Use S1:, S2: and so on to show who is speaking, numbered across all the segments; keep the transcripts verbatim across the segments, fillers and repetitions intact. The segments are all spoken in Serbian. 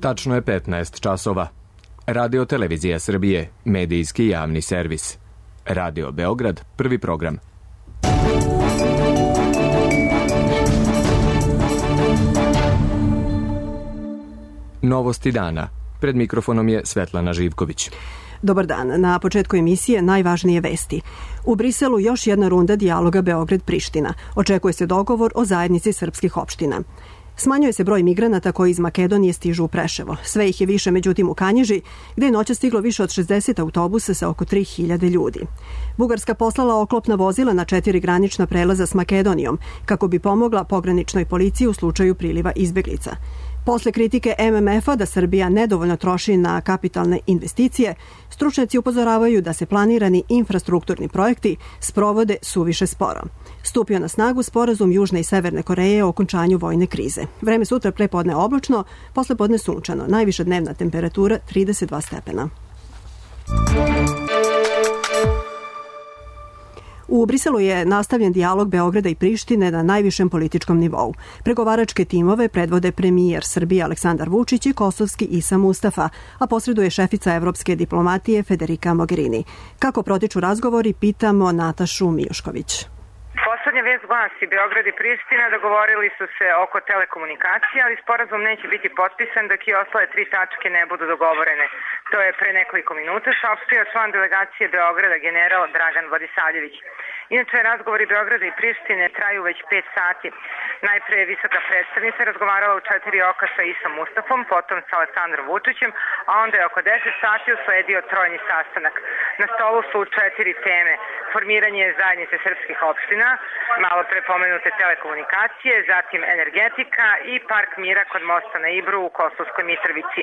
S1: Tačno je petnaest časova. Radio Televizija Srbije, medijski javni servis. Radio Beograd, prvi program. Novosti dana. Pred mikrofonom je Svetlana Živković.
S2: Dobar dan. Na početku emisije najvažnije vesti. U Briselu još jedna runda dijaloga Beograd-Priština. Očekuje se dogovor o zajednici srpskih opština. Smanjuje se broj migranata koji iz Makedonije stižu u Preševo. Sve ih je više, međutim, u Kanjiži, gde je noća stiglo više od šezdeset autobusa sa oko tri hiljade ljudi. Bugarska poslala oklopna vozila na četiri granična prelaza s Makedonijom, kako bi pomogla pograničnoj policiji u slučaju priliva izbeglica. Posle kritike M M F-a da Srbija nedovoljno troši na kapitalne investicije, stručnjaci upozoravaju da se planirani infrastrukturni projekti sprovode suviše sporo. Stupio na snagu sporazum Južne i Severne Koreje o okončanju vojne krize. Vreme sutra prepodne oblačno, posle podne sunčano. Najviša dnevna temperatura trideset dva stepena. U Briselu je nastavljen dijalog Beograda i Prištine na najvišem političkom nivou. Pregovaračke timove predvode premijer Srbije Aleksandar Vučić i kosovski Isa Mustafa, a posreduje šefica evropske diplomatije Federica Mogherini. Kako protiču razgovori, pitamo Natašu Mijušković.
S3: Poslednja vest glasi, Beograd i Priština dogovorili su se oko telekomunikacija, ali sporazum neće biti potpisan dok i ostale tri tačke ne budu dogovorene. To je pre nekoliko minuta saopštio član delegacije Beograda general Dragan Vladisavljević. Inače, razgovori Beograda i Prištine traju već pet sati. Najpre je visoka predstavnica razgovarala u četiri oka sa Isom Mustafom, potom sa Aleksandrom Vučićem, a onda je oko deset sati usledio trojni sastanak. Na stolu su četiri teme: formiranje zajednice srpskih opština, malo pre pomenute telekomunikacije, zatim energetika i park mira kod mosta na Ibru u Kosovskoj Mitrovici.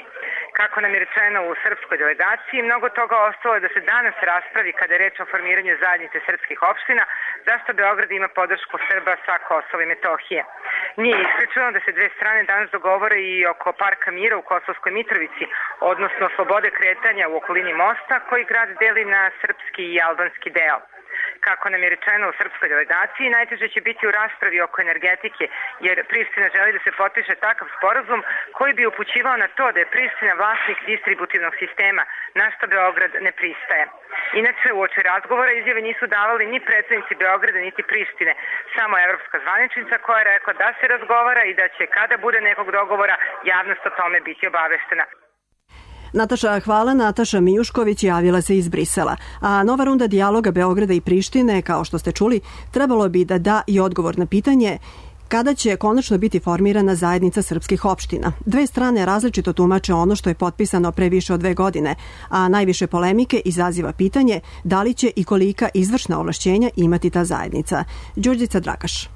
S3: Kako nam je rečeno u srpskoj delegaciji, mnogo toga ostalo je da se danas raspravi kada je reč o formiranju zajednice srpskih opština, zašto Beograd ima podršku Srba sa Kosova i Metohije. Nije isključeno da se dve strane danas dogovore i oko parka mira u Kosovskoj Mitrovici, odnosno slobode kretanja u okolini mosta koji grad deli na srpski i albanski deo. Kako nam je rečeno u srpskoj delegaciji, najteže će biti u raspravi oko energetike, jer Priština želi da se potpiše takav sporazum koji bi upućivao na to da je Priština vlasnik distributivnog sistema, na što Beograd ne pristaje. Inače, uoči razgovora izjave nisu davali ni predstavnici Beograda niti Prištine, samo evropska zvaničnica koja je rekla da se razgovara i da će, kada bude nekog dogovora, javnost o tome biti obaveštena.
S2: Nataša, hvala. Nataša Mijušković javila se iz Brisela. A nova runda dijaloga Beograda i Prištine, kao što ste čuli, trebalo bi da da i odgovor na pitanje kada će konačno biti formirana zajednica srpskih opština. Dve strane različito tumače ono što je potpisano pre više od dve godine, a najviše polemike izaziva pitanje da li će i kolika izvršna ovlašćenja imati ta zajednica. Đurđica Dragaš.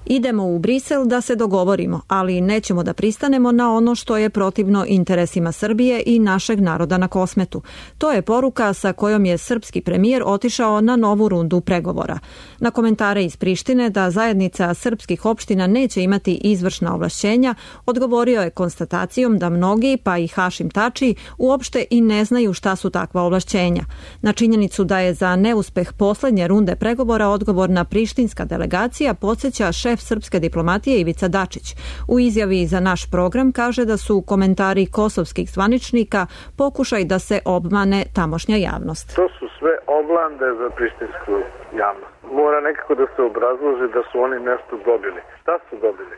S4: Idemo u Brisel da se dogovorimo, ali nećemo da pristanemo na ono što je protivno interesima Srbije i našeg naroda na Kosmetu. To je poruka sa kojom je srpski premijer otišao na novu rundu pregovora. Na komentare iz Prištine da zajednica srpskih opština neće imati izvršna ovlašćenja, odgovorio je konstatacijom da mnogi, pa i Hašim Tači, uopšte i ne znaju šta su takva ovlašćenja. Na činjenicu da je za neuspeh poslednje runde pregovora odgovorna prištinska delegacija podsjeća šef srpske diplomatije Ivica Dačić. U izjavi za naš program kaže da su komentari kosovskih zvaničnika pokušaj da se obmane tamošnja javnost.
S5: To su sve oblande za prištinsku javnost. Mora nekako da se obrazloži da su oni nešto dobili. Šta su dobili?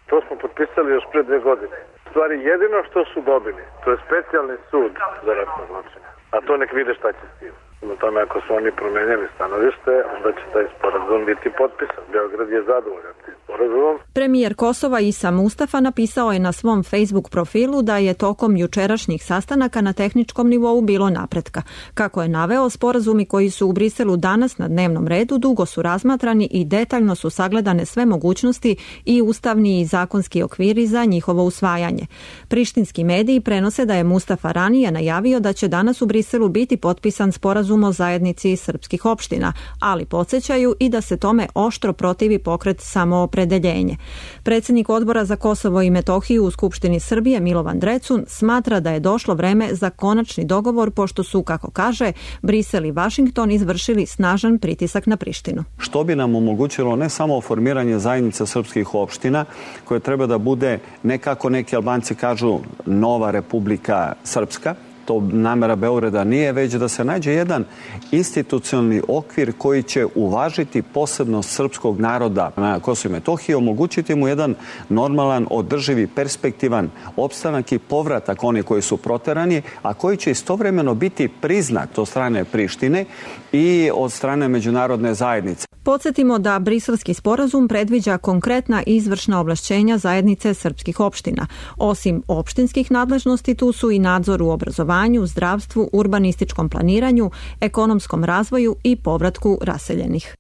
S5: To smo potpisali još pre dve godine. U stvari jedino što su dobili, to je specijalni sud za ratne zločine. A to nek vide šta će s tim. Na tome, ako su oni promenjali stanovište, onda će taj sporazum biti potpisan. Beograd je zadovoljan tim sporazumom.
S4: Premijer Kosova Isa Mustafa napisao je na svom Facebook profilu da je tokom jučerašnjih sastanaka na tehničkom nivou bilo napretka. Kako je naveo, sporazumi koji su u Briselu danas na dnevnom redu dugo su razmatrani i detaljno su sagledane sve mogućnosti i ustavni i zakonski okviri za njihovo usvajanje. Prištinski mediji prenose da je Mustafa ranije najavio da će danas u Briselu biti potpisan sporazum sporazum o zajednici srpskih opština, ali podsjećaju i da se tome oštro protivi pokret Samoopredeljenje. Predsjednik Odbora za Kosovo i Metohiju u Skupštini Srbije Milovan Drecun smatra da je došlo vreme za konačni dogovor, pošto su, kako kaže, Brisel i Vašington izvršili snažan pritisak na Prištinu.
S6: Što bi nam omogućilo ne samo formiranje zajednice srpskih opština, koje treba da bude nekako neki Albanci kažu nova Republika Srpska, to namera Beograda nije, već da se nađe jedan institucionalni okvir koji će uvažiti posebnost srpskog naroda na Kosovu i Metohiji, omogućiti mu jedan normalan, održivi, perspektivan opstanak i povratak oni koji su proterani, a koji će istovremeno biti priznat od strane Prištine i od strane međunarodne zajednice.
S4: Podsjetimo da Briselski sporazum predviđa konkretna izvršna ovlašćenja zajednice srpskih opština. Osim opštinskih nadležnosti, tu su i nadzor u obrazovanju, zdravstvu, urbanističkom planiranju, ekonomskom razvoju i povratku raseljenih.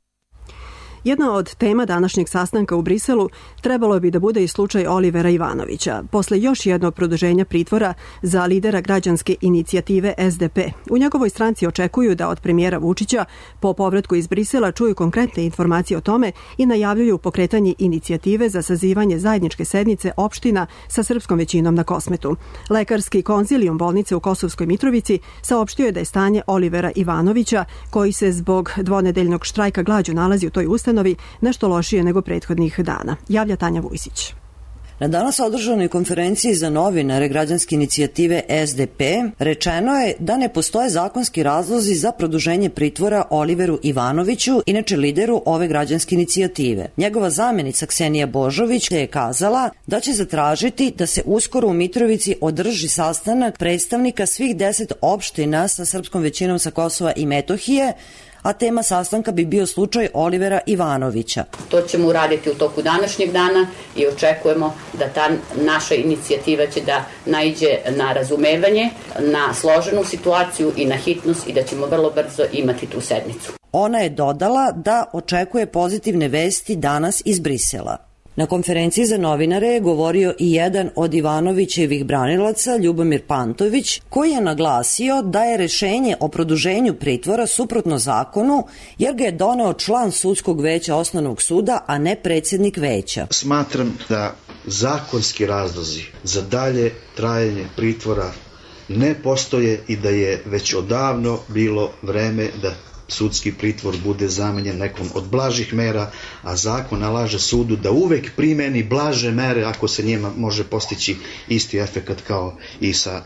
S2: Jedna od tema današnjeg sastanka u Briselu trebalo bi da bude i slučaj Olivera Ivanovića, posle još jednog produženja pritvora za lidera građanske inicijative S D P. U njegovoj stranci očekuju da od premijera Vučića po povratku iz Brisela čuju konkretne informacije o tome i najavljuju pokretanje inicijative za sazivanje zajedničke sednice opština sa srpskom većinom na Kosmetu. Lekarski konzilijum bolnice u Kosovskoj Mitrovici saopštio je da je stanje Olivera Ivanovića, koji se zbog dvonedeljnog štrajka glađu nalazi u toj ustanovi, nešto lošije nego prethodnih dana. Javlja Tanja Vujsić.
S7: Na danas održanoj konferenciji za novinare građanske inicijative S D P rečeno je da ne postoje zakonski razlozi za produženje pritvora Oliveru Ivanoviću, inače lideru ove građanske inicijative. Njegova zamjenica Ksenija Božović je kazala da će zatražiti da se uskoro u Mitrovici održi sastanak predstavnika svih deset opština sa srpskom većinom sa Kosova i Metohije, a tema sastanka bi bio slučaj Olivera Ivanovića.
S8: To ćemo uraditi u toku današnjeg dana i očekujemo da ta naša inicijativa će da naiđe na razumevanje, na složenu situaciju i na hitnost i da ćemo vrlo brzo imati tu sednicu.
S7: Ona je dodala da očekuje pozitivne vesti danas iz Brisela. Na konferenciji za novinare je govorio i jedan od Ivanovićevih branilaca, Ljubomir Pantović, koji je naglasio da je rešenje o produženju pritvora suprotno zakonu, jer ga je doneo član sudskog veća osnovnog suda, a ne predsjednik veća.
S9: Smatram da zakonski razlozi za dalje trajanje pritvora ne postoje i da je već odavno bilo vreme da sudski pritvor bude zamenjen nekom od blažih mera, a zakon nalaže sudu da uvek primeni blaže mere ako se njima može postići isti efekat kao i sa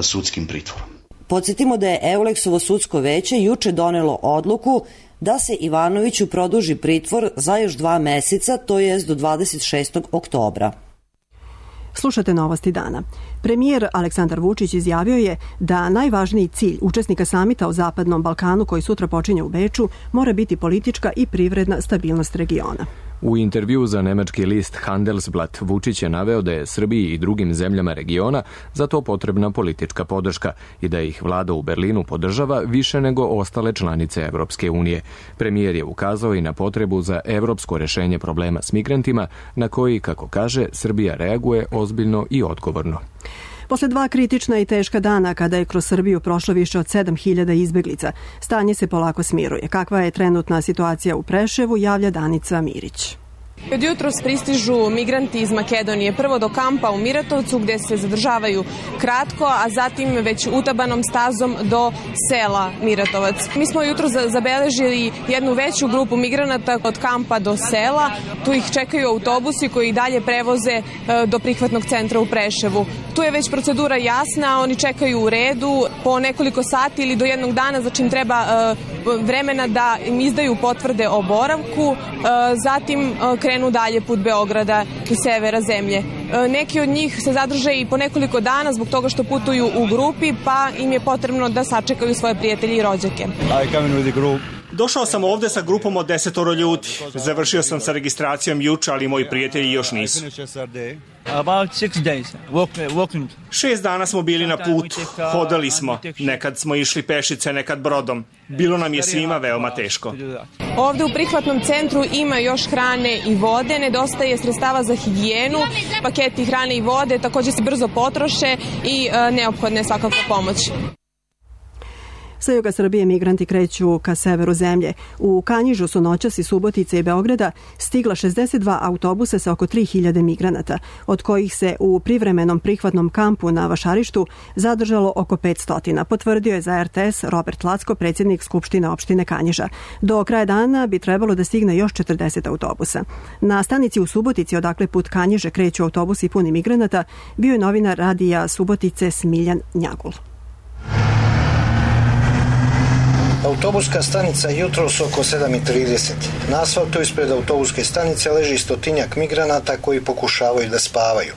S9: sudskim pritvorom.
S7: Podsjetimo da je Euleksovo sudsko veće juče donelo odluku da se Ivanoviću produži pritvor za još dva meseca, to jest do dvadeset šestog oktobra.
S2: Slušate novosti dana. Premijer Aleksandar Vučić izjavio je da najvažniji cilj učesnika samita o Zapadnom Balkanu, koji sutra počinje u Beču, mora biti politička i privredna stabilnost regiona.
S1: U intervju za nemački list Handelsblatt Vučić je naveo da je Srbiji i drugim zemljama regiona za to potrebna politička podrška i da ih vlada u Berlinu podržava više nego ostale članice Evropske unije. Premijer je ukazao i na potrebu za evropsko rešenje problema s migrantima, na koji, kako kaže, Srbija reaguje ozbiljno i odgovorno.
S2: Posle dva kritična i teška dana kada je kroz Srbiju prošlo više od sedam hiljada izbeglica, stanje se polako smiruje. Kakva je trenutna situacija u Preševu, javlja Danica Mirić.
S10: Od jutros pristižu migranti iz Makedonije, prvo do kampa u Miratovcu gde se zadržavaju kratko, a zatim već utabanom stazom do sela Miratovac. Mi smo jutros zabeležili jednu veću grupu migranata od kampa do sela, tu ih čekaju autobusi koji dalje prevoze do prihvatnog centra u Preševu. Tu je već procedura jasna, oni čekaju u redu po nekoliko sati ili do jednog dana, znači im treba vremena da im izdaju potvrde o boravku, zatim krenu dalje put Beograda i severa zemlje. Neki od njih se zadrže i po nekoliko dana zbog toga što putuju u grupi, pa im je potrebno da sačekaju svoje prijatelje i rođake.
S11: Došao sam ovde sa grupom od desetoro ljudi. Završio sam sa registracijom juče, ali moji prijatelji još nisu. Šest dana smo bili na putu, hodali smo. Nekad smo išli pešice, nekad brodom. Bilo nam je svima veoma teško.
S10: Ovde u prihvatnom centru ima još hrane i vode, nedostaje sredstava za higijenu, paketi hrane i vode takođe se brzo potroše i neophodna je svakako pomoć.
S2: Sa juga Srbije migranti kreću ka severu zemlje. U Kanjižu su noćas iz Subotice i Beograda stigla šezdeset dva autobusa sa oko tri hiljade migranata, od kojih se u privremenom prihvatnom kampu na Vašarištu zadržalo oko petsto, potvrdio je za er te es Robert Lacko, predsjednik Skupštine opštine Kanjiža. Do kraja dana bi trebalo da stigne još četrdeset autobusa. Na stanici u Subotici, odakle put Kanjiže kreću autobusi puni migranata, bio je novinar radija Subotice Smiljan Njagul.
S12: Autobuska stanica jutros oko sedam i trideset. Na asfaltu ispred autobuske stanice leži stotinjak migranata koji pokušavaju da spavaju.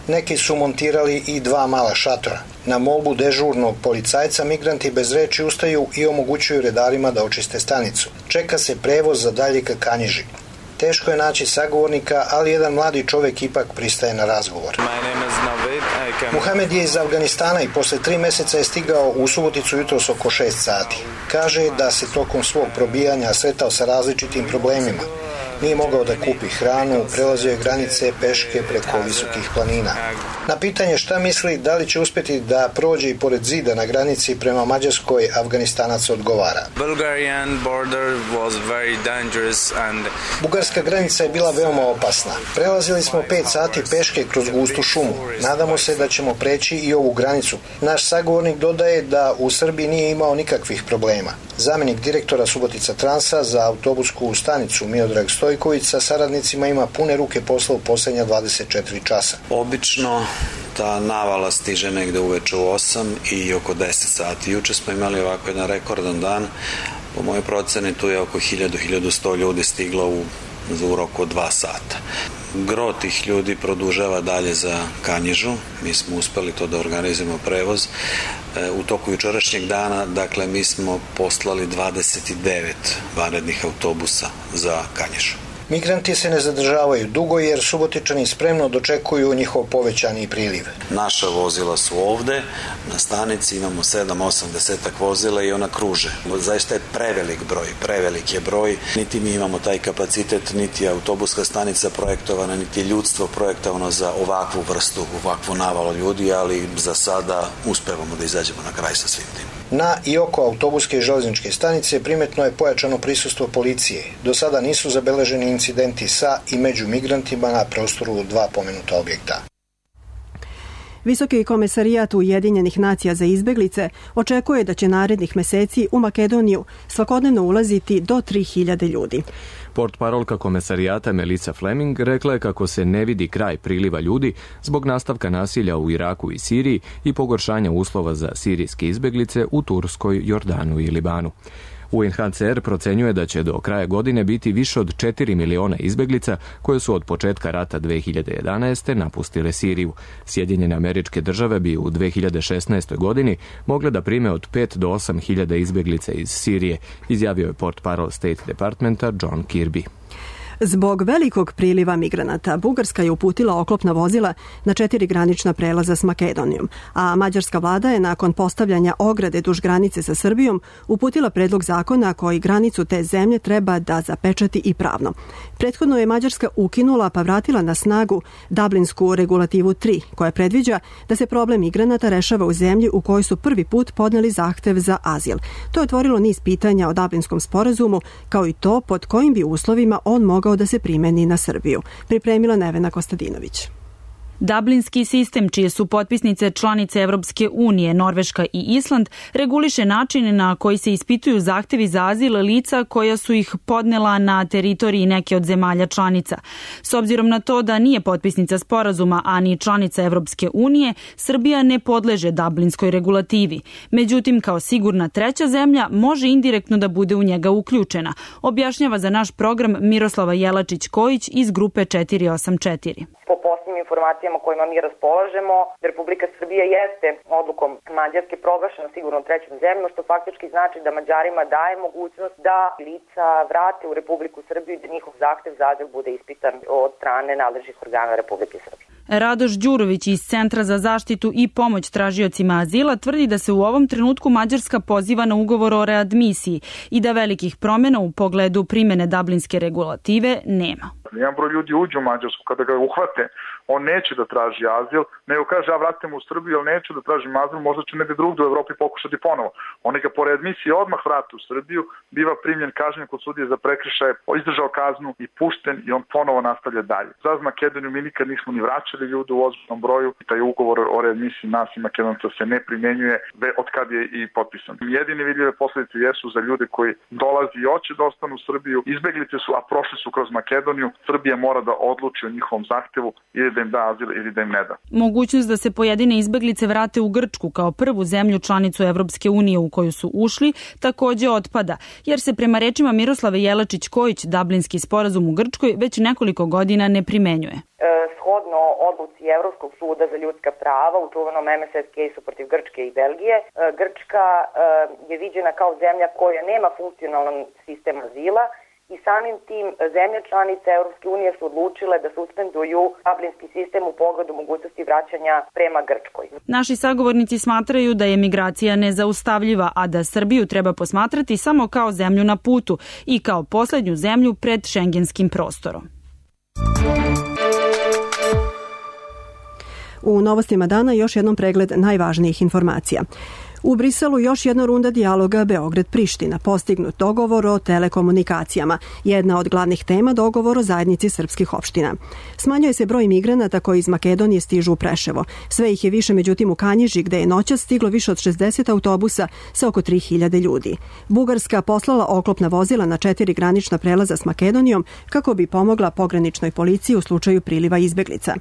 S12: Neki su montirali i dva mala šatora. Na molbu dežurnog policajca migranti bez reči ustaju i omogućuju redarima da očiste stanicu. Čeka se prevoz za dalje ka Kanjiži. Teško je naći sagovornika, ali jedan mladi čovjek ipak pristaje na razgovor. Muhamed je iz Afganistana i posle tri meseca je stigao u Suboticu jutros oko šest sati. Kaže da se tokom svog probijanja sretao sa različitim problemima. Nije mogao da kupi hranu, prelazio je granice peške preko visokih planina. Na pitanje šta misli da li će uspjeti da prođe i pored zida na granici prema Mađarskoj, Afganistanac odgovara. Bugarska granica je bila veoma opasna. Prelazili smo pet sati peške kroz gustu šumu. Nadamo se da ćemo preći i ovu granicu. Naš sagovornik dodaje da u Srbiji nije imao nikakvih problema. Zamjenik direktora Subotica Transa za autobusku stanicu Miodrag Stojković sa saradnicima ima pune ruke posla u posljednja dvadeset četiri časa.
S13: Obično ta navala stiže negde uveče u osam i oko deset sati. Juče smo imali ovako jedan rekordan dan. Po mojoj proceni tu je oko hiljadu do hiljadu sto ljudi stiglo u, u roku od dva sata. Gro tih ljudi produžava dalje za Kanjižu. Mi smo uspeli to da organizujemo prevoz. U toku jučerašnjeg dana, dakle, mi smo poslali dvadeset devet vanrednih autobusa za Kanjižu.
S12: Migranti se ne zadržavaju dugo jer Subotičani spremno dočekuju njihov povećani priliv.
S13: Naša vozila su ovde, na stanici imamo sedam osam desetak vozila i ona kruže. Zaista je prevelik broj, prevelik je broj. Niti mi imamo taj kapacitet, niti je autobuska stanica projektovana, niti je ljudstvo projektovano za ovakvu vrstu, ovakvu navalu ljudi, ali za sada uspevamo da izađemo na kraj sa svim tim.
S12: Na i oko autobuske i železničke stanice primetno je pojačano prisustvo policije. Do sada nisu zabeleženi incidenti sa i među migrantima na prostoru dva pomenuta objekta.
S2: Visoki komesarijat Ujedinjenih nacija za izbeglice očekuje da će narednih meseci u Makedoniju svakodnevno ulaziti do tri hiljade ljudi.
S1: Portparolka komesarijata Melissa Fleming rekla je kako se ne vidi kraj priliva ljudi zbog nastavka nasilja u Iraku i Siriji i pogoršanja uslova za sirijske izbeglice u Turskoj, Jordanu i Libanu. U en ha ce er procenjuje da će do kraja godine biti više od četiri miliona izbeglica koje su od početka rata dve hiljade jedanaeste. napustile Siriju. Sjedinjene Američke Države bi u dve hiljade šesnaestoj. godini mogle da prime od pet do osam hiljada izbeglica iz Sirije, izjavio je portparol State Departmenta John Kirby.
S2: Zbog velikog priliva migranata, Bugarska je uputila oklopna vozila na četiri granična prelaza s Makedonijom, a mađarska vlada je nakon postavljanja ograde duž granice sa Srbijom uputila predlog zakona koji granicu te zemlje treba da zapečati i pravno. Prethodno je Mađarska ukinula pa vratila na snagu Dublinsku regulativu tri, koja predviđa da se problem migranata rešava u zemlji u kojoj su prvi put podneli zahtev za azil. To je otvorilo niz pitanja o Dublinskom sporazumu, kao i to pod kojim bi uslovima on mogao da se primeni na Srbiju. Pripremila Nevena Kostadinović.
S14: Dublinski sistem, čije su potpisnice članice Evropske unije, Norveška i Island, reguliše načine na koji se ispituju zahtevi za azil lica koja su ih podnela na teritoriji neke od zemalja članica. S obzirom na to da nije potpisnica sporazuma, a ni članica Evropske unije, Srbija ne podleže Dublinskoj regulativi. Međutim, kao sigurna treća zemlja, može indirektno da bude u njega uključena, objašnjava za naš program Miroslava Jelačić-Kojić iz grupe četiri osam četiri.
S15: Po posljednjim informacijama kojima mi raspolažemo, Republika Srbija jeste odlukom Mađarske proglašena sigurno trećom zemljom, što faktički znači da Mađarima daje mogućnost da lica vrate u Republiku Srbiju i da njihov zahtev za azil bude ispitan od strane nadležnih organa Republike Srbije.
S14: Radoš Đurović iz Centra za zaštitu i pomoć tražiocima azila tvrdi da se u ovom trenutku Mađarska poziva na ugovor o readmisiji i da velikih promjena u pogledu primjene dublinske regulative nema.
S16: Jedan broj ljudi uđe u Mađarsku, kada ga uhvate, on neće da traži azil, nego kaže, ja vratim u Srbiju, ali neću da tražim azil, možda ću negde drugdje u Evropi pokušati ponovo. Oni ga po readmisiji odmah vrate u Srbiju, biva primljen, kažnjen kod sudije za prekršaje, izdržao kaznu i pušten i on ponovo nastavlja dalje. Za Makedoniju mi nikad nismo ni vraćali ljude u ozbiljnom broju, taj ugovor o readmisiji nas i Makedonca se ne primenjuje od kad je i potpisan. Jedine vidljive posljedice jesu za ljude koji dolazi i hoće da ostanu u Srbiju, izbeglice su, a prošli su kroz Makedoniju. Srbija mora da odluči o njihovom zahtevu ili da im da azil ili da im ne da.
S14: Mogućnost da se pojedine izbeglice vrate u Grčku kao prvu zemlju članicu Evropske unije u koju su ušli također otpada, jer se prema rečima Miroslave Jelačić-Kojić Dublinski sporazum u Grčkoj već nekoliko godina ne primenjuje.
S15: E, shodno odluci Evropskog suda za ljudska prava u čuvenom M S S casu protiv Grčke i Belgije, e, Grčka e, je viđena kao zemlja koja nema funkcionalan sistem azila i samim tim zemlje članice Europske unije su odlučile da suspenduju dublinski sistem u pogledu mogućnosti vraćanja prema Grčkoj.
S14: Naši sagovornici smatraju da je migracija nezaustavljiva, a da Srbiju treba posmatrati samo kao zemlju na putu i kao posljednju zemlju pred šengenskim prostorom.
S2: U novostima dana još jednom pregled najvažnijih informacija. U Briselu još jedna runda dijaloga Beograd-Priština, postignut dogovor o telekomunikacijama. Jedna od glavnih tema dogovor o zajednici srpskih opština. Smanjuje se broj migranata koji iz Makedonije stižu u Preševo. Sve ih je više međutim u Kanjiži, gde je noćas stiglo više od šezdeset autobusa sa oko tri hiljade ljudi. Bugarska poslala oklopna vozila na četiri granična prelaza s Makedonijom kako bi pomogla pograničnoj policiji u slučaju priliva izbeglica.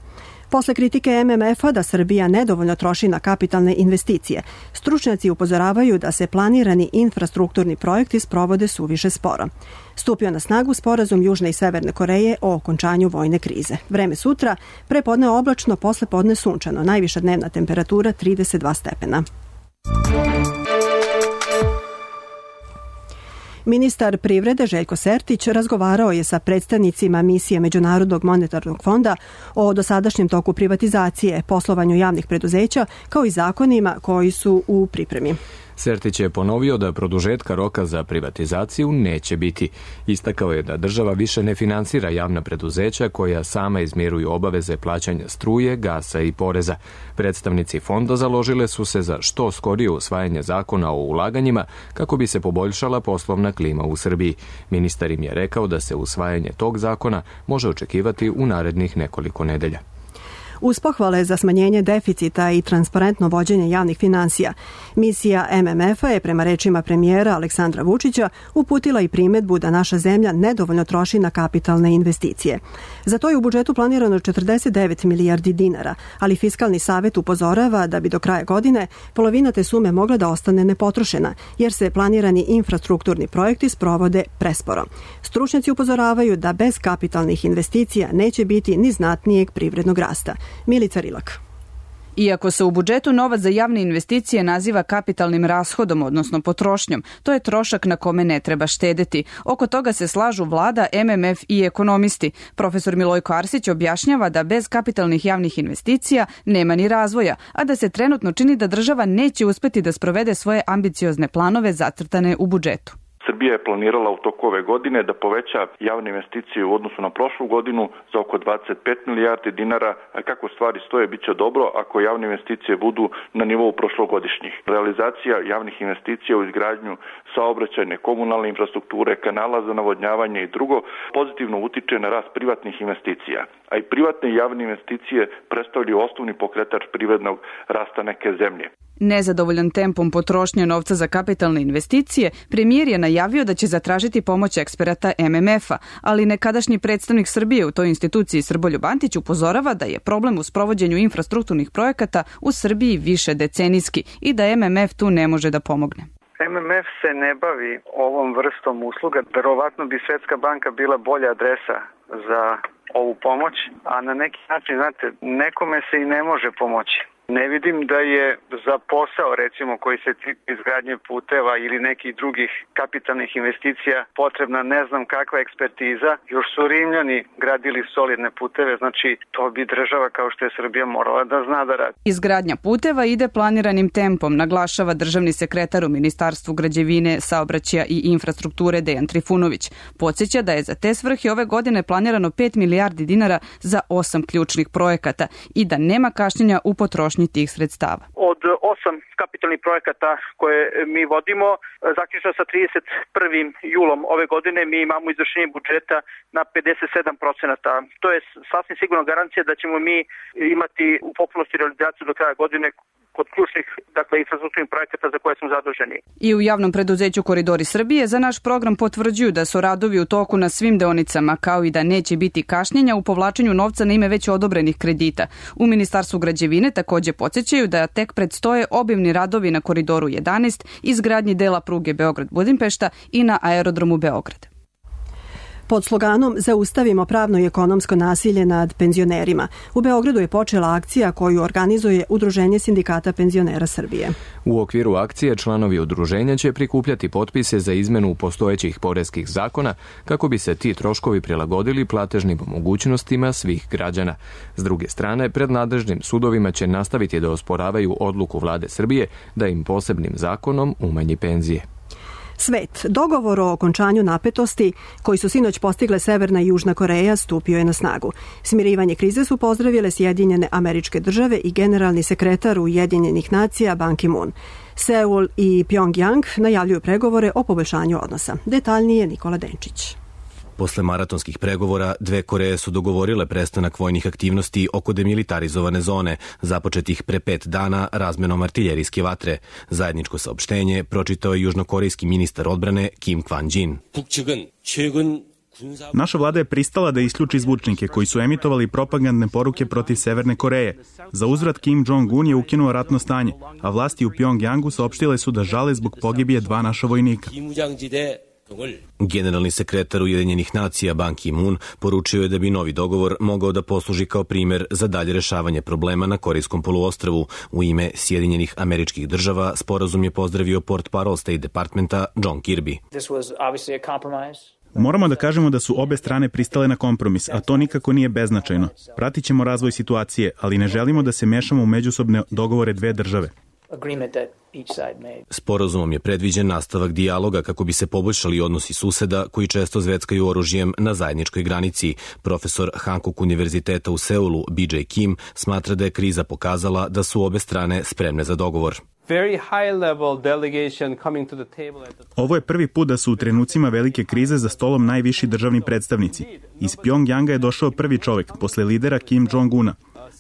S2: Posle kritike M M F-a da Srbija nedovoljno troši na kapitalne investicije, stručnjaci upozoravaju da se planirani infrastrukturni projekti sprovode suviše sporo. Stupio na snagu sporazum Južne i Severne Koreje o okončanju vojne krize. Vreme sutra, prepodne oblačno, posle podne sunčano, najviša dnevna temperatura trideset dva stepena. Ministar privrede Željko Sertić razgovarao je sa predstavnicima misije Međunarodnog monetarnog fonda o dosadašnjem toku privatizacije, poslovanju javnih preduzeća, kao i zakonima koji su u pripremi.
S1: Sertić je ponovio da produžetka roka za privatizaciju neće biti. Istakao je da država više ne finansira javna preduzeća koja sama izmiruju obaveze plaćanja struje, gasa i poreza. Predstavnici fonda založile su se za što skorije usvajanje zakona o ulaganjima kako bi se poboljšala poslovna klima u Srbiji. Ministar im je rekao da se usvajanje tog zakona može očekivati u narednih nekoliko nedelja.
S2: Uz pohvale za smanjenje deficita i transparentno vođenje javnih finansija, misija M M F-a je prema rečima premijera Aleksandra Vučića uputila i primedbu da naša zemlja nedovoljno troši na kapitalne investicije. Za to je u budžetu planirano četrdeset devet milijardi dinara, ali Fiskalni savet upozorava da bi do kraja godine polovina te sume mogla da ostane nepotrošena, jer se planirani infrastrukturni projekti sprovode presporo. Stručnjaci upozoravaju da bez kapitalnih investicija neće biti ni znatnijeg privrednog rasta. Milica Rilak.
S17: Iako se u budžetu novac za javne investicije naziva kapitalnim rashodom, odnosno potrošnjom, to je trošak na kome ne treba štedeti. Oko toga se slažu vlada, M M F i ekonomisti. Profesor Milojko Arsić objašnjava da bez kapitalnih javnih investicija nema ni razvoja, a da se trenutno čini da država neće uspeti da sprovede svoje ambiciozne planove zacrtane u budžetu.
S18: Srbija je planirala u toku ove godine da poveća javne investicije u odnosu na prošlu godinu za oko dvadeset pet milijardi dinara, a kako stvari stoje bit će dobro ako javne investicije budu na nivou prošlogodišnjih. Realizacija javnih investicija u izgradnju saobraćajne, komunalne infrastrukture, kanala za navodnjavanje i drugo pozitivno utiče na rast privatnih investicija, a i privatne i javne investicije predstavljaju osnovni pokretač privrednog rasta neke zemlje.
S17: Nezadovoljan tempom potrošnje novca za kapitalne investicije, premijer je najavio da će zatražiti pomoć eksperata M M F-a, ali nekadašnji predstavnik Srbije u toj instituciji Srboljub Antić upozorava da je problem u sprovođenju infrastrukturnih projekata u Srbiji više decenijski i da M M F tu ne može da pomogne.
S19: M M F se ne bavi ovom vrstom usluga. Verovatno bi Svetska banka bila bolja adresa za ovu pomoć, a na neki način, znate, nekome se i ne može pomoći. Ne vidim da je za posao, recimo, koji se tiče izgradnje puteva ili nekih drugih kapitalnih investicija potrebna ne znam kakva ekspertiza. Još su Rimljani gradili solidne puteve, znači to bi država kao što je Srbija morala da zna da radi.
S17: Izgradnja puteva ide planiranim tempom, naglašava državni sekretar u Ministarstvu građevine, saobraćaja i infrastrukture Dejan Trifunović. Podsjeća da je za te svrhe ove godine planirano pet milijardi dinara za osam ključnih projekata i da nema kašnjenja u potrošnji tih sredstava.
S20: Od osam kapitalnih projekata koje mi vodimo, zaključno sa trideset prvim julom ove godine, mi imamo izvršenje budžeta na pedeset sedam procenata. To je sasvim sigurno garancija da ćemo mi imati u potpunosti realizaciju do kraja godine kod ključnih, dakle, infrastrukturnih projekata za koje smo zaduženi.
S17: I u javnom preduzeću Koridori Srbije za naš program potvrđuju da su radovi u toku na svim deonicama, kao i da neće biti kašnjenja u povlačenju novca na ime već odobrenih kredita. U Ministarstvu građevine takođe podsjećaju da tek predstoje obimni radovi na Koridoru jedanaest, izgradnji dela pruge Beograd-Budimpešta i na aerodromu Beograd.
S2: Pod sloganom Zaustavimo pravno i ekonomsko nasilje nad penzionerima, u Beogradu je počela akcija koju organizuje Udruženje sindikata penzionera Srbije.
S1: U okviru akcije članovi udruženja će prikupljati potpise za izmenu postojećih poreskih zakona kako bi se ti troškovi prilagodili platežnim mogućnostima svih građana. S druge strane, pred nadležnim sudovima će nastaviti da osporavaju odluku vlade Srbije da im posebnim zakonom umanji penzije.
S2: Svet. Dogovor o okončanju napetosti koji su sinoć postigle Severna i Južna Koreja stupio je na snagu. Smirivanje krize su pozdravile Sjedinjene Američke Države i generalni sekretar Ujedinjenih nacija Ban Ki-moon. Seul i Pyongyang najavljuju pregovore o poboljšanju odnosa. Detaljnije Nikola Denčić.
S21: Posle maratonskih pregovora, dve Koreje su dogovorile prestanak vojnih aktivnosti oko demilitarizovane zone, započetih pre pet dana razmenom artiljerijske vatre. Zajedničko saopštenje pročitao je južnokorejski ministar odbrane Kim Kwan-jin.
S22: Naša vlada je pristala da isključi zvučnike koji su emitovali propagandne poruke protiv Severne Koreje. Za uzvrat Kim Jong-un je ukinuo ratno stanje, a vlasti u Pyongyangu saopštile su da žale zbog pogibije dva naša vojnika.
S21: Generalni sekretar Ujedinjenih nacija Ban Ki-moon poručio je da bi novi dogovor mogao da posluži kao primer za dalje rešavanje problema na Korejskom poluostrvu. U ime Sjedinjenih Američkih Država sporazum je pozdravio portparol State Departmenta John Kirby.
S22: Moramo da kažemo da su obe strane pristale na kompromis, a to nikako nije beznačajno. Pratit ćemo razvoj situacije, ali ne želimo da se mešamo u međusobne dogovore dve države.
S21: Sporazumom je predviđen nastavak dijaloga kako bi se poboljšali odnosi suseda koji često zveckaju oružjem na zajedničkoj granici. Profesor Hankuk univerziteta u Seulu B J Kim smatra da je kriza pokazala da su obe strane spremne za dogovor.
S22: Ovo je prvi put da su u trenucima velike krize za stolom najviši državni predstavnici. Iz Pyongyanga je došao prvi čovek, posle lidera Kim Jong-una.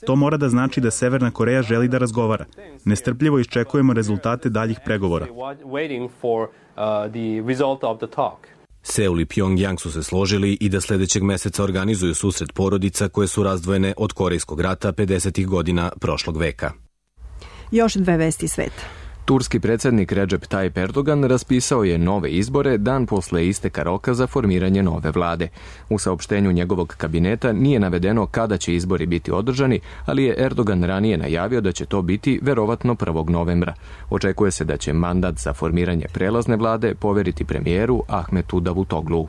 S22: To mora da znači da Severna Koreja želi da razgovara. Nestrpljivo iščekujemo rezultate daljih pregovora.
S21: Seul i Pyongyang su se složili i da sledećeg meseca organizuju susret porodica koje su razdvojene od Korejskog rata pedesetih godina prošlog veka.
S2: Još dve vesti sveta.
S1: Turski predsjednik Recep Tayyip Erdogan raspisao je nove izbore dan posle isteka roka za formiranje nove vlade. U saopštenju njegovog kabineta nije navedeno kada će izbori biti održani, ali je Erdogan ranije najavio da će to biti verovatno prvog novembra. Očekuje se da će mandat za formiranje prelazne vlade poveriti premijeru Ahmetu Davutoglu.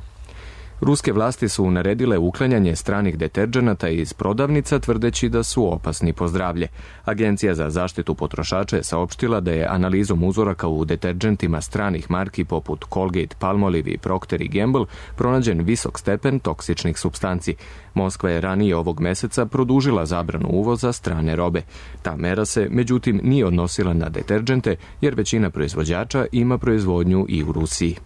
S1: Ruske vlasti su naredile uklanjanje stranih deterdženata iz prodavnica tvrdeći da su opasni po zdravlje. Agencija za zaštitu potrošača je saopštila da je analizom uzoraka u deterdžentima stranih marki poput Colgate, Palmolive i Procter and Gamble pronađen visok stepen toksičnih supstanci. Moskva je ranije ovog meseca produžila zabranu uvoza strane robe. Ta mera se, međutim, nije odnosila na deterdžente jer većina proizvođača ima proizvodnju i u Rusiji.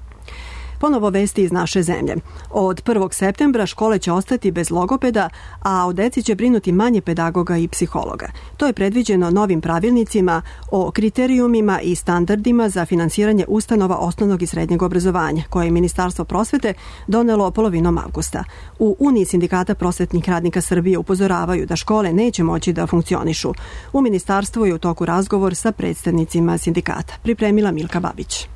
S2: Ponovo vesti iz naše zemlje. Od prvog septembra škole će ostati bez logopeda, a o deci će brinuti manje pedagoga i psihologa. To je predviđeno novim pravilnicima o kriterijumima i standardima za finansiranje ustanova osnovnog i srednjeg obrazovanja, koje je Ministarstvo prosvete donelo polovinom avgusta. U Uniji sindikata prosvetnih radnika Srbije upozoravaju da škole neće moći da funkcionišu. U Ministarstvu je u toku razgovor sa predstavnicima sindikata. Pripremila Milka Babić.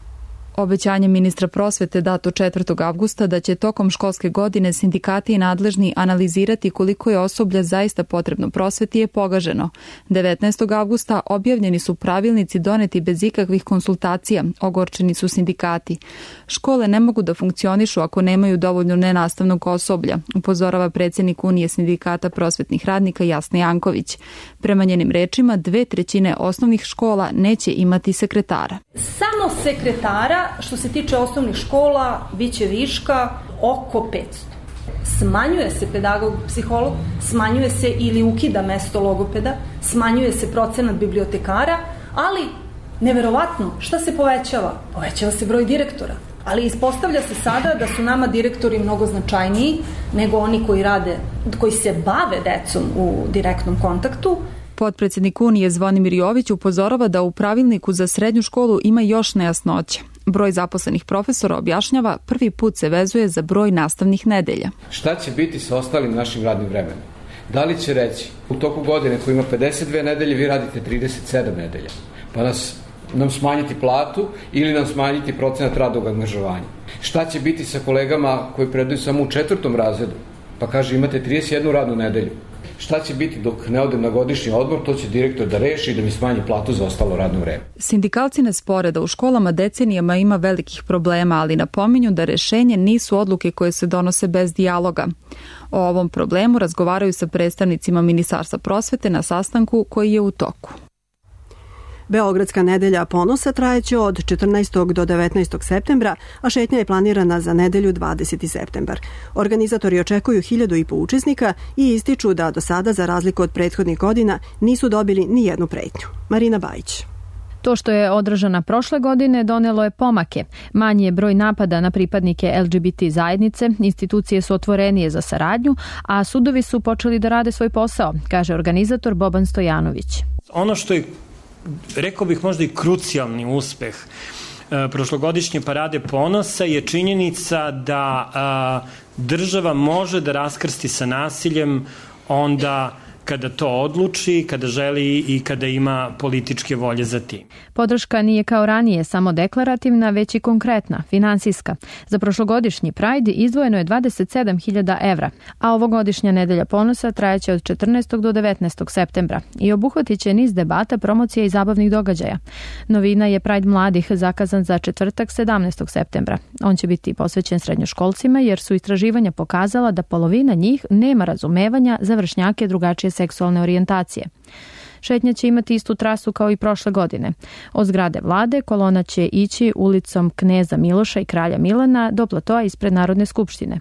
S3: Obećanje ministra prosvete dato četvrtog avgusta da će tokom školske godine sindikati i nadležni analizirati koliko je osoblja zaista potrebno prosveti je pogaženo. devetnaestog avgusta objavljeni su pravilnici doneti bez ikakvih konsultacija, ogorčeni su sindikati. Škole ne mogu da funkcionišu ako nemaju dovoljno nenastavnog osoblja, upozorava predsjednik Unije sindikata prosvetnih radnika Jasna Janković. Prema njenim rečima, dve trećine osnovnih škola neće imati sekretara.
S5: Samo sekretara, što se tiče osnovnih škola, bit će viška oko petsto. Smanjuje se pedagog, psiholog, smanjuje se ili ukida mesto logopeda, smanjuje se procenat bibliotekara, ali neverovatno, šta se povećava? Povećava se broj direktora. Ali ispostavlja se sada da su nama direktori mnogo značajniji nego oni koji rade, koji se bave decom u direktnom kontaktu.
S3: Potpredsjednik Unije Zvonimir Jović upozorava da u pravilniku za srednju školu ima još nejasnoća. Broj zaposlenih profesora, objašnjava, prvi put se vezuje za broj nastavnih nedelja.
S23: Šta će biti sa ostalim našim radnim vremenom? Da li će reći u toku godine koji ima pedeset dve nedelje vi radite trideset sedam nedelja, pa nas, nam smanjiti platu ili nam smanjiti procenat radnog angažovanja? Šta će biti sa kolegama koji predaju samo u četvrtom razredu, pa kaže imate trideset jednu radnu nedelju? Šta će biti dok ne odem na godišnji odmor, to će direktor da reši i da mi smanji platu za ostalo radno vreme.
S3: Sindikalci ne spore da u školama decenijama ima velikih problema, ali napominju da rešenje nisu odluke koje se donose bez dijaloga. O ovom problemu razgovaraju sa predstavnicima Ministarstva prosvete na sastanku koji je u toku.
S2: Beogradska nedelja ponosa trajeće od četrnaestog do devetnaestog septembra, a šetnja je planirana za nedelju dvadeseti septembar. Organizatori očekuju hiljadu i po učesnika i ističu da do sada, za razliku od prethodnih godina, nisu dobili ni jednu pretnju. Marina Bajić.
S24: To što je održana prošle godine donelo je pomake. Manji je broj napada na pripadnike el ge be te zajednice, institucije su otvorenije za saradnju, a sudovi su počeli da rade svoj posao, kaže organizator Boban Stojanović.
S25: Ono što je, rekao bih, možda i krucijalni uspeh e, prošlogodišnje parade ponosa je činjenica da a, država može da raskrsti sa nasiljem onda kada to odluči, kada želi i kada ima političke volje za tim.
S24: Podrška nije kao ranije samo deklarativna, već i konkretna, finansijska. Za prošlogodišnji Pride izdvojeno je dvadeset sedam hiljada evra, a ovogodišnja nedelja ponosa trajaće od četrnaestog do devetnaestog septembra i obuhvatit će niz debata, promocija i zabavnih događaja. Novina je Pride mladih zakazan za četvrtak sedamnaestog septembra. On će biti posvećen srednjoškolcima jer su istraživanja pokazala da polovina njih nema razumevanja za vršnjake drugačije seksualne orijentacije. Šetnja će imati istu trasu kao i prošle godine. Od zgrade vlade kolona će ići ulicom Kneza Miloša i Kralja Milana do platoa ispred Narodne skupštine.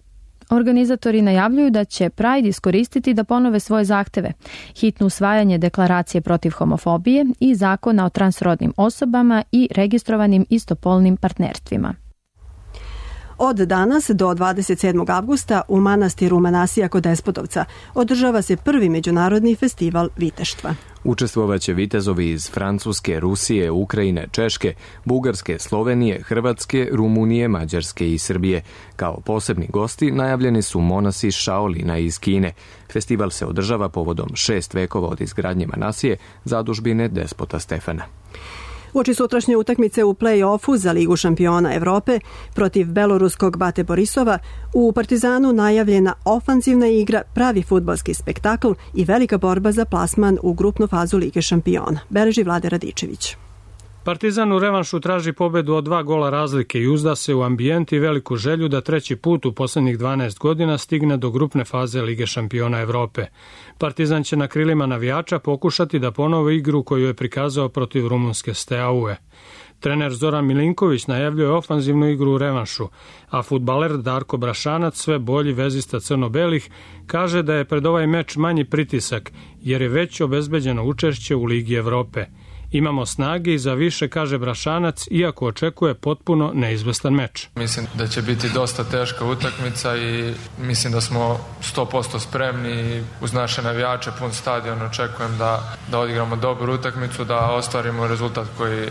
S24: Organizatori najavljuju da će Pride iskoristiti da ponove svoje zahteve, hitno usvajanje deklaracije protiv homofobije i zakona o transrodnim osobama i registrovanim istopolnim partnerstvima.
S2: Od danas do dvadeset sedmog avgusta u manastiru Manasija kod Despotovca održava se prvi međunarodni festival viteštva.
S1: Učestvovaće vitezovi iz Francuske, Rusije, Ukrajine, Češke, Bugarske, Slovenije, Hrvatske, Rumunije, Mađarske i Srbije. Kao posebni gosti najavljeni su monasi Šaolina iz Kine. Festival se održava povodom šest vekova od izgradnje Manasije, zadužbine despota Stefana.
S2: Uoči sutrašnje utakmice u play-offu za Ligu šampiona Evrope protiv beloruskog Bate Borisova, u Partizanu najavljena ofanzivna igra, pravi fudbalski spektakl i velika borba za plasman u grupnu fazu Lige šampiona. Beleži Vlade Radičević.
S26: Partizan u revanšu traži pobedu od dva gola razlike i uzda se u ambijent i veliku želju da treći put u poslednjih dvanaest godina stigne do grupne faze Lige šampiona Evrope. Partizan će na krilima navijača pokušati da ponovi igru koju je prikazao protiv rumunske Steaue. Trener Zoran Milinković najavljuje ofanzivnu igru u revanšu, a fudbaler Darko Brašanac, sve bolji vezista crno-belih, kaže da je pred ovaj meč manji pritisak jer je već obezbeđeno učešće u Ligi Evrope. Imamo snage i za više, kaže Brašanac, iako očekuje potpuno neizvestan meč.
S27: Mislim da će biti dosta teška utakmica i mislim da smo sto posto spremni uz naše navijače, pun stadion. Očekujem da, da odigramo dobru utakmicu, da ostvarimo rezultat koji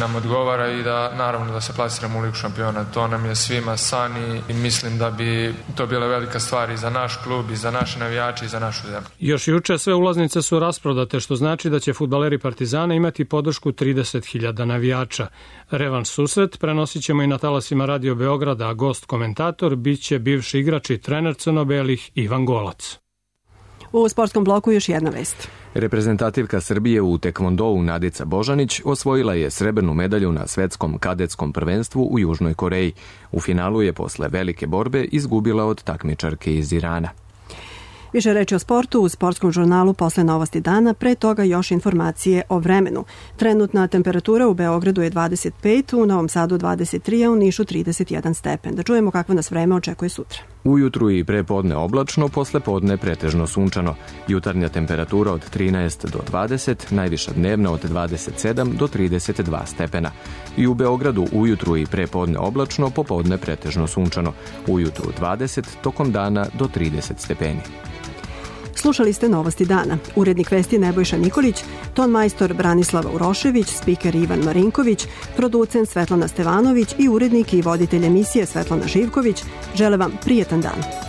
S27: nam odgovara i da naravno da se plasiramo u Ligu šampiona. To nam je svima san i mislim da bi to bila velika stvar i za naš klub, i za naše navijače, i za našu zemlju.
S26: Još juče sve ulaznice su rasprodate, što znači da će fudbaleri Partizana imati podršku trideset hiljada navijača. Revanš susret prenosit ćemo i na talasima Radio Beograda, a gost komentator biće bivši igrač i trener crno-belih Ivan Golac.
S2: U sportskom bloku još jedna vest.
S1: Reprezentativka Srbije u tekvondou Nadica Božanić osvojila je srebrnu medalju na svetskom kadetskom prvenstvu u Južnoj Koreji. U finalu je posle velike borbe izgubila od takmičarke iz Irana.
S2: Više reči o sportu u sportskom žurnalu posle novosti dana, pre toga još informacije o vremenu. Trenutna temperatura u Beogradu je dvadeset pet, u Novom Sadu dvadeset tri, a u Nišu trideset jedan stepen. Da čujemo kakvo nas vreme očekuje sutra.
S1: Ujutru i pre podne oblačno, posle podne pretežno sunčano. Jutarnja temperatura od trinaest do dvadeset, najviša dnevna od dvadeset sedam do trideset dva stepena. I u Beogradu ujutru i pre podne oblačno, popodne pretežno sunčano. Ujutru dvadeset, tokom dana do trideset stepeni.
S2: Slušali ste novosti dana. Urednik vesti Nebojša Nikolić, ton majstor Branislava Urošević, spiker Ivan Marinković, producent Svetlana Stevanović i urednik i voditelj emisije Svetlana Živković žele vam prijetan dan.